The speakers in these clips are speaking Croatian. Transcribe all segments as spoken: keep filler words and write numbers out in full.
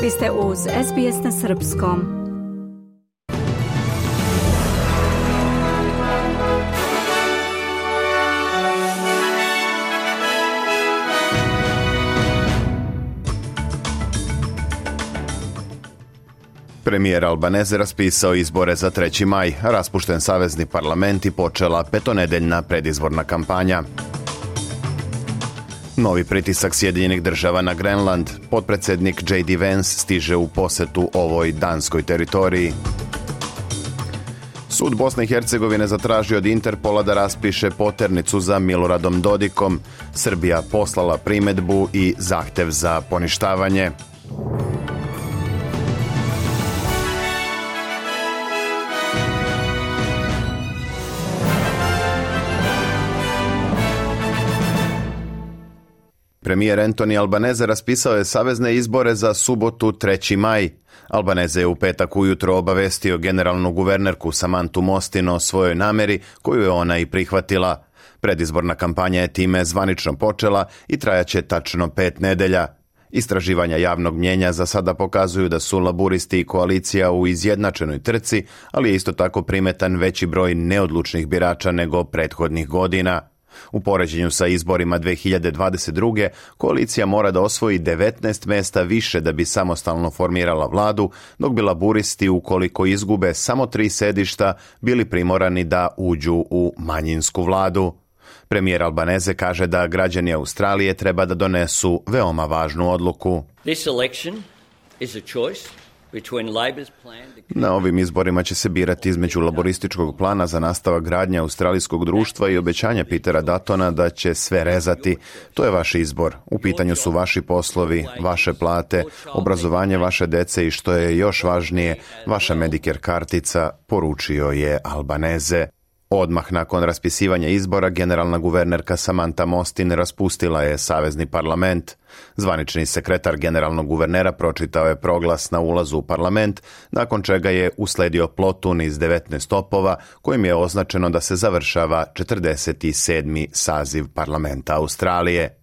Vi ste uz S B S na srpskom. Premijer Albanese raspisao izbore za treći maj, raspušten savezni parlament i počela petonedeljna predizborna kampanja. Novi pritisak Sjedinjenih država na Grenland. Potpredsjednik J D Vance stiže u posetu ovoj danskoj teritoriji. Sud Bosne i Hercegovine zatražio od Interpola da raspiše poternicu za Miloradom Dodikom. Srbija poslala primedbu i zahtev za poništavanje. Premijer Anthony Albanese raspisao je savezne izbore za subotu treći maj. Albanese je u petak ujutro obavestio generalnu guvernerku Samantu Mostin o svojoj nameri, koju je ona i prihvatila. Predizborna kampanja je time zvanično počela i trajaće tačno pet nedelja. Istraživanja javnog mnjenja za sada pokazuju da su laburisti i koalicija u izjednačenoj trci, ali je isto tako primetan veći broj neodlučnih birača nego prethodnih godina. U poređenju sa izborima dve hiljade dvadeset druge. koalicija mora da osvoji devetnaest mesta više da bi samostalno formirala vladu, dok bi laburisti, ukoliko izgube samo tri sedišta, bili primorani da uđu u manjinsku vladu. Premijer Albanese kaže da građani Australije treba da donesu veoma važnu odluku. This election is a choice. Na ovim izborima će se birati između laborističkog plana za nastavak gradnje australijskog društva i obećanja Petera Duttona da će sve rezati. To je vaš izbor. U pitanju su vaši poslovi, vaše plate, obrazovanje vaše dece i što je još važnije, vaša Medicare kartica, poručio je Albanese. Odmah nakon raspisivanja izbora, generalna guvernerka Samanta Mostin raspustila je savezni parlament. Zvanični sekretar generalnog guvernera pročitao je proglas na ulazu u parlament, nakon čega je usledio plotun iz devetnaest topova, kojim je označeno da se završava četrdeset sedmi saziv parlamenta Australije.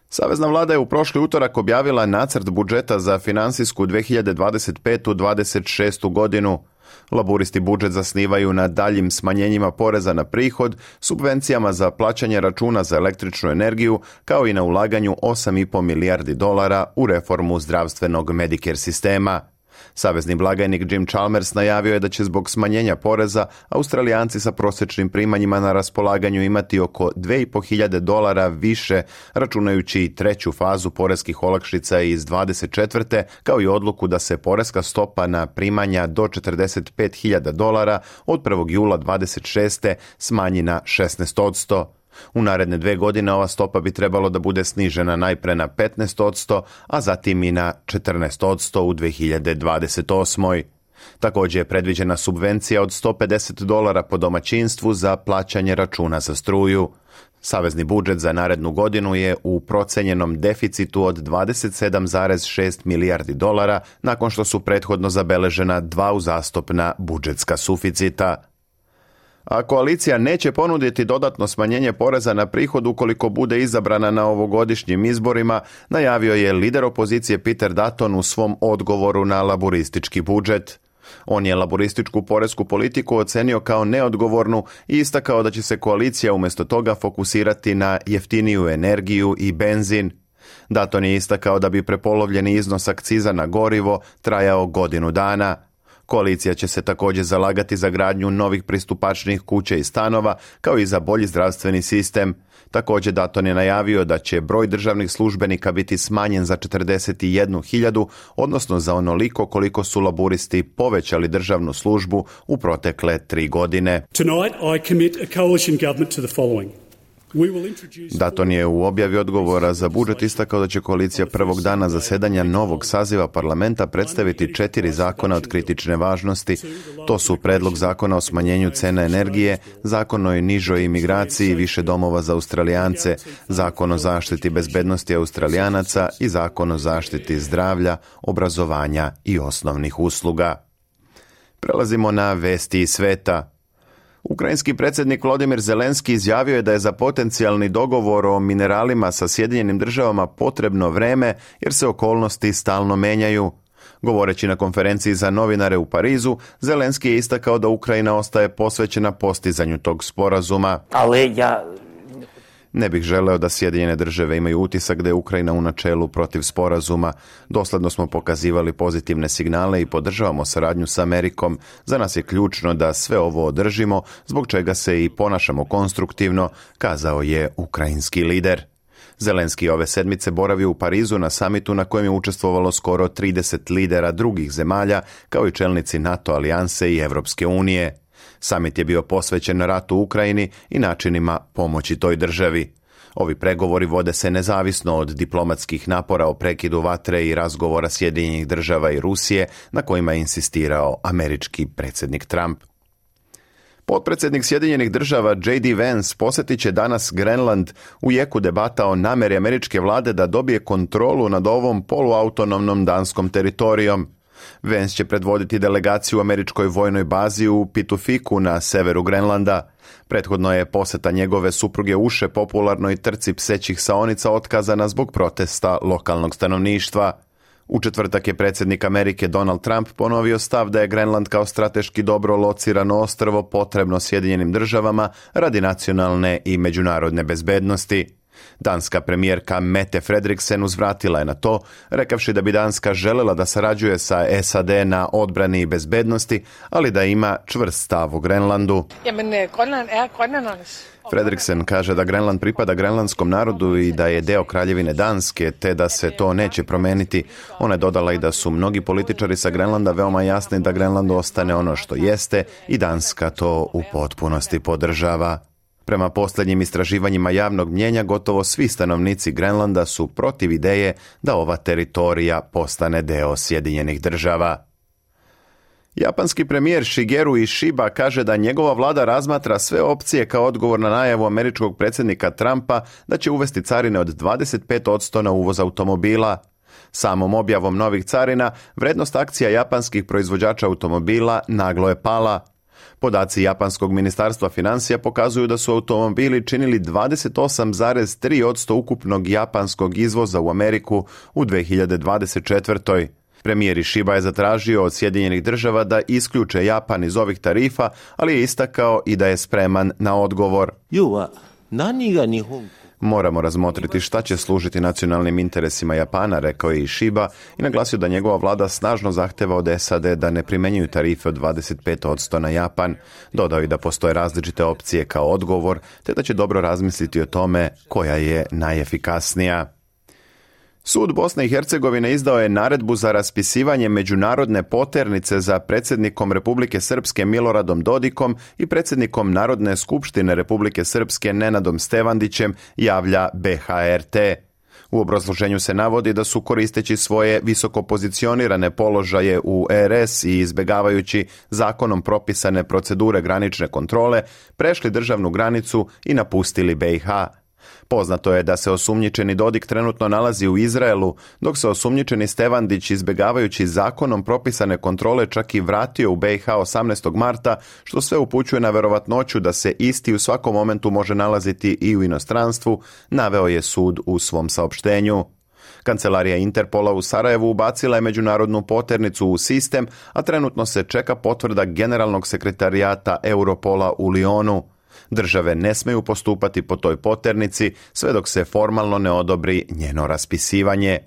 Savezna vlada je u prošli utorak objavila nacrt budžeta za finansijsku dve hiljade dvadeset petu dvadeset šestu godinu. Laburisti budžet zasnivaju na daljim smanjenjima poreza na prihod, subvencijama za plaćanje računa za električnu energiju, kao i na ulaganju osam i po milijardi dolara u reformu zdravstvenog Medicare sistema. Savezni blagajnik Jim Chalmers najavio je da će zbog smanjenja poreza Australijanci sa prosječnim primanjima na raspolaganju imati oko dve i po hiljade dolara više, računajući i treću fazu poreskih olakšica iz dvadeset četvrte kao i odluku da se poreska stopa na primanja do četrdeset pet hiljada dolara od prvog jula dvadeset šeste smanji na šesnaest posto. U naredne dve godine ova stopa bi trebalo da bude snižena najpre na petnaest posto, a zatim i na četrnaest posto u dve hiljade dvadeset osmoj. Također je predviđena subvencija od sto pedeset dolara po domaćinstvu za plaćanje računa za struju. Savezni budžet za narednu godinu je u procenjenom deficitu od dvadeset sedam zarez šest milijardi dolara, nakon što su prethodno zabeležena dva uzastopna budžetska suficita. A koalicija neće ponuditi dodatno smanjenje poreza na prihod ukoliko bude izabrana na ovogodišnjim izborima, najavio je lider opozicije Peter Dutton u svom odgovoru na laburistički budžet. On je laburističku poresku politiku ocenio kao neodgovornu i istakao da će se koalicija umjesto toga fokusirati na jeftiniju energiju i benzin. Dutton je istakao da bi prepolovljeni iznos akciza na gorivo trajao godinu dana. Koalicija će se također zalagati za gradnju novih pristupačnih kuća i stanova, kao i za bolji zdravstveni sistem. Također Dutton je najavio da će broj državnih službenika biti smanjen za četrdeset jednu hiljadu, odnosno za onoliko koliko su laburisti povećali državnu službu u protekle tri godine. Tonight I commit a coalition government to the following. Dutton je u objavi odgovora za budžet istakao da će koalicija prvog dana zasedanja novog saziva parlamenta predstaviti četiri zakona od kritične važnosti. To su predlog zakona o smanjenju cena energije, zakon o nižoj imigraciji, više domova za Australijance, zakon o zaštiti bezbednosti Australijanaca i zakon o zaštiti zdravlja, obrazovanja i osnovnih usluga. Prelazimo na vesti iz sveta. Ukrajinski predsjednik Volodymyr Zelenski izjavio je da je za potencijalni dogovor o mineralima sa Sjedinjenim državama potrebno vreme jer se okolnosti stalno menjaju. Govoreći na konferenciji za novinare u Parizu, Zelenski je istakao da Ukrajina ostaje posvećena postizanju tog sporazuma. Ali ja... Ne bih želeo da Sjedinjene države imaju utisak da je Ukrajina u načelu protiv sporazuma. Dosledno smo pokazivali pozitivne signale i podržavamo saradnju s Amerikom. Za nas je ključno da sve ovo održimo, zbog čega se i ponašamo konstruktivno, kazao je ukrajinski lider. Zelenski ove sedmice boravio u Parizu na samitu na kojem je učestvovalo skoro trideset lidera drugih zemalja, kao i čelnici NATO alijanse i Evropske unije. Samit je bio posvećen ratu u Ukrajini i načinima pomoći toj državi. Ovi pregovori vode se nezavisno od diplomatskih napora o prekidu vatre i razgovora Sjedinjenih država i Rusije na kojima je insistirao američki predsjednik Trump. Potpredsjednik Sjedinjenih država J D Vance posjetit će danas Grenland u jeku debata o namjeri američke vlade da dobije kontrolu nad ovom poluautonomnom danskom teritorijom. Vance će predvoditi delegaciju u američkoj vojnoj bazi u Pitufiku na severu Grenlanda. Prethodno je posjeta njegove supruge uše popularnoj trci psećih saonica otkazana zbog protesta lokalnog stanovništva. U četvrtak je predsjednik Amerike Donald Trump ponovio stav da je Grenland kao strateški dobro locirano ostrvo potrebno Sjedinjenim državama radi nacionalne i međunarodne bezbednosti. Danska premijerka Mette Frederiksen uzvratila je na to, rekavši da bi Danska željela da sarađuje sa S A D na odbrani i bezbednosti, ali da ima čvrst stav u Grenlandu. Frederiksen kaže da Grenland pripada grenlandskom narodu i da je deo Kraljevine Danske, te da se to neće promeniti. Ona je dodala i da su mnogi političari sa Grenlanda veoma jasni da Grenland ostane ono što jeste i Danska to u potpunosti podržava. Prema posljednjim istraživanjima javnog mnijenja, gotovo svi stanovnici Grenlanda su protiv ideje da ova teritorija postane deo Sjedinjenih država. Japanski premijer Shigeru Ishiba kaže da njegova vlada razmatra sve opcije kao odgovor na najavu američkog predsjednika Trumpa da će uvesti carine od dvadeset pet posto na uvoz automobila. Samom objavom novih carina, vrednost akcija japanskih proizvođača automobila naglo je pala. Podaci Japanskog ministarstva financija pokazuju da su automobili činili dvadeset osam zarez tri posto ukupnog japanskog izvoza u Ameriku u dvije hiljade dvadeset četvrtoj. Premijer Ishiba je zatražio od Sjedinjenih država da isključe Japan iz ovih tarifa, ali je istakao i da je spreman na odgovor. Moramo razmotriti šta će služiti nacionalnim interesima Japana, rekao je Ishiba i naglasio da njegova vlada snažno zahteva od S A D da ne primjenjuju tarife od dvadeset pet posto na Japan. Dodao i da postoje različite opcije kao odgovor, te da će dobro razmisliti o tome koja je najefikasnija. Sud Bosne i Hercegovine izdao je naredbu za raspisivanje međunarodne poternice za predsjednikom Republike Srpske Miloradom Dodikom i predsjednikom Narodne skupštine Republike Srpske Nenadom Stevandićem, javlja B H R T. U obrazloženju se navodi da su koristeći svoje visoko pozicionirane položaje u R S i izbjegavajući zakonom propisane procedure granične kontrole, prešli državnu granicu i napustili B i H. Poznato je da se osumnjičeni Dodik trenutno nalazi u Izraelu, dok se osumnjičeni Stevandić, izbjegavajući zakonom propisane kontrole, čak i vratio u B i H osamnaestog marta, što sve upućuje na verovatnoću da se isti u svakom momentu može nalaziti i u inostranstvu, naveo je sud u svom saopštenju. Kancelarija Interpola u Sarajevu ubacila je međunarodnu poternicu u sistem, a trenutno se čeka potvrda generalnog sekretarijata Europola u Lionu. Države ne smeju postupati po toj poternici sve dok se formalno ne odobri njeno raspisivanje.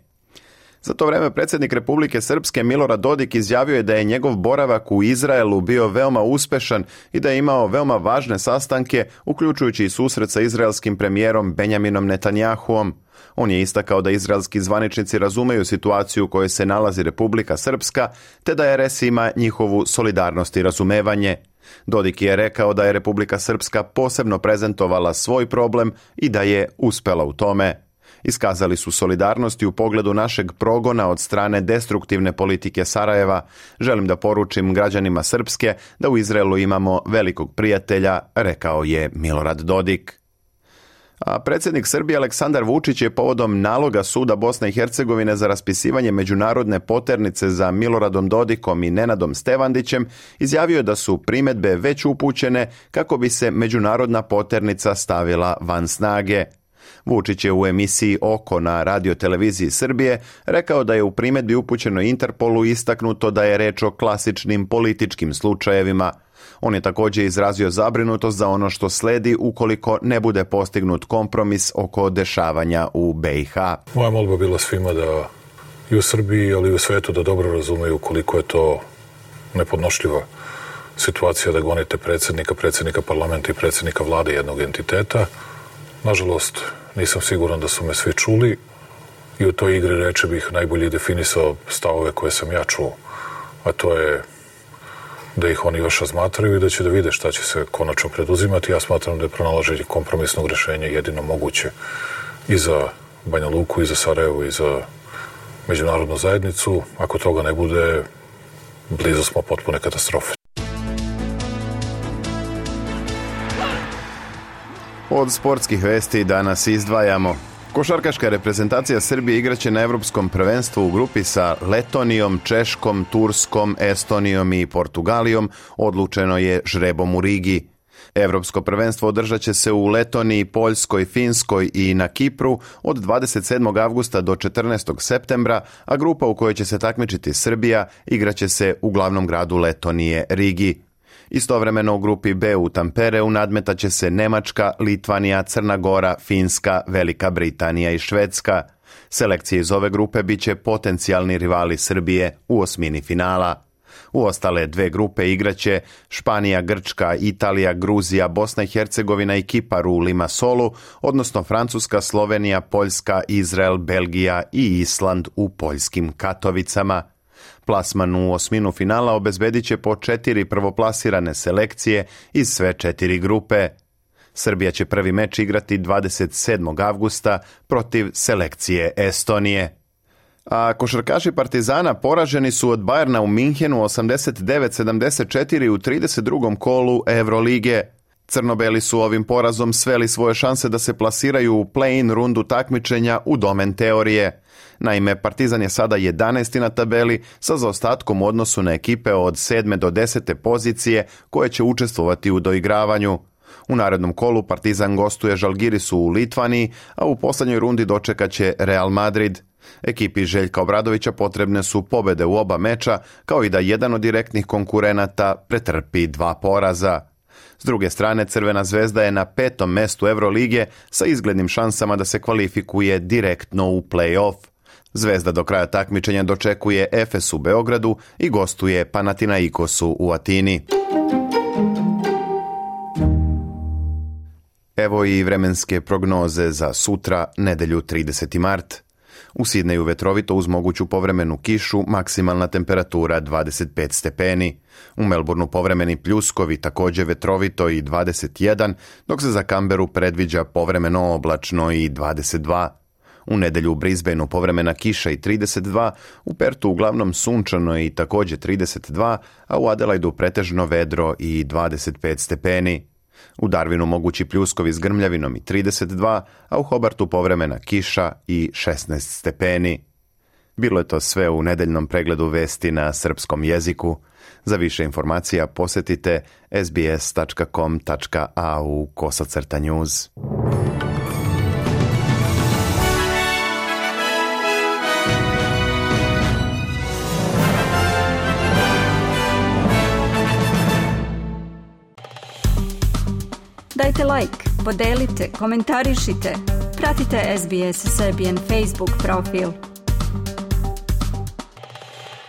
Za to vrijeme predsjednik Republike Srpske Milorad Dodik izjavio je da je njegov boravak u Izraelu bio veoma uspešan i da je imao veoma važne sastanke, uključujući i susret sa izraelskim premijerom Benjaminom Netanjahuom. On je istakao da izraelski zvaničnici razumeju situaciju u kojoj se nalazi Republika Srpska, te da R S ima njihovu solidarnost i razumevanje. Dodik je rekao da je Republika Srpska posebno prezentovala svoj problem i da je uspela u tome. Iskazali su solidarnosti u pogledu našeg progona od strane destruktivne politike Sarajeva. Želim da poručim građanima Srpske da u Izraelu imamo velikog prijatelja, rekao je Milorad Dodik. A predsjednik Srbije Aleksandar Vučić je povodom naloga suda Bosne i Hercegovine za raspisivanje međunarodne poternice za Miloradom Dodikom i Nenadom Stevandićem izjavio da su primjedbe već upućene kako bi se međunarodna poternica stavila van snage. Vučić je u emisiji Oko na radioteleviziji Srbije rekao da je u primjedbi upućenoj Interpolu istaknuto da je reč o klasičnim političkim slučajevima. On je također izrazio zabrinutost za ono što sledi ukoliko ne bude postignut kompromis oko dešavanja u be i ha. Moja molba bila svima da i u Srbiji, ali i u svetu da dobro razumeju koliko je to nepodnošljiva situacija da gonite predsjednika, predsjednika parlamenta i predsjednika vlade jednog entiteta. Nažalost, nisam siguran da su me svi čuli i u toj igri reči bih najbolje definisao stavove koje sam ja čuo, a to je da ih oni još razmatraju i da će da vide šta će se konačno preduzimati. Ja smatram da je pronalaženje kompromisnog rješenja jedino moguće i za Banja Luku, i za Sarajevo, i za međunarodnu zajednicu. Ako toga ne bude, blizu smo potpune katastrofe. Od sportskih vesti danas izdvajamo. Košarkaška reprezentacija Srbije igraće na Evropskom prvenstvu u grupi sa Letonijom, Češkom, Turskom, Estonijom i Portugalijom, odlučeno je žrebom u Rigi. Evropsko prvenstvo održat će se u Letoniji, Poljskoj, Finskoj i na Kipru od dvadeset sedmog avgusta do četrnaestog septembra, a grupa u kojoj će se takmičiti Srbija igraće se u glavnom gradu Letonije, Rigi. Istovremeno u grupi B u Tampereu nadmetaće se Nemačka, Litvanija, Crna Gora, Finska, Velika Britanija i Švedska. Selekcije iz ove grupe bit će potencijalni rivali Srbije u osmini finala. U ostale dve grupe igraće Španija, Grčka, Italija, Gruzija, Bosna i Hercegovina i Kipar u Limasolu, odnosno Francuska, Slovenija, Poljska, Izrael, Belgija i Island u poljskim Katovicama. Plasman u osminu finala obezbedit će po četiri prvoplasirane selekcije iz sve četiri grupe. Srbija će prvi meč igrati dvadeset sedmog avgusta protiv selekcije Estonije. A košarkaši Partizana poraženi su od Bayerna u Minhenu osamdeset devet sedamdeset četiri u trideset drugom kolu Evrolige. Crnobeli su ovim porazom sveli svoje šanse da se plasiraju u play-in rundu takmičenja u domen teorije. Naime, Partizan je sada jedanaesti na tabeli sa zaostatkom u odnosu na ekipe od sedme do desete pozicije koje će učestvovati u doigravanju. U narednom kolu Partizan gostuje Žalgirisu u Litvaniji, a u posljednjoj rundi dočekat će Real Madrid. Ekipi Željka Obradovića potrebne su pobjede u oba meča, kao i da jedan od direktnih konkurenata pretrpi dva poraza. S druge strane, Crvena zvezda je na petom mestu Evrolige sa izglednim šansama da se kvalifikuje direktno u play-off. Zvezda do kraja takmičenja dočekuje Efes u Beogradu i gostuje Panathinaikosu u Atini. Evo i vremenske prognoze za sutra, nedjelju trideseti mart. U Sidneju vetrovito uz moguću povremenu kišu, maksimalna temperatura dvadeset pet stepeni. U Melbourneu povremeni pljuskovi, također vetrovito i dvadeset jedan, dok se za Canberu predviđa povremeno oblačno i dvadeset dva. U nedjelju u Brisbaneu povremena kiša i trideset dva, u Pertu uglavnom sunčano i također trideset dva, a u Adelaidu pretežno vedro i dvadeset pet stepeni. U Darwinu mogući pljuskovi s grmljavinom i trideset dva, a u Hobartu povremena kiša i šesnaest stepeni. Bilo je to sve u nedeljnom pregledu vesti na srpskom jeziku. Za više informacija posjetite sbs tačka com tačka a u kosacrta news. Dajte like, podelite, komentarišite. Pratite S B S Serbian Facebook profil.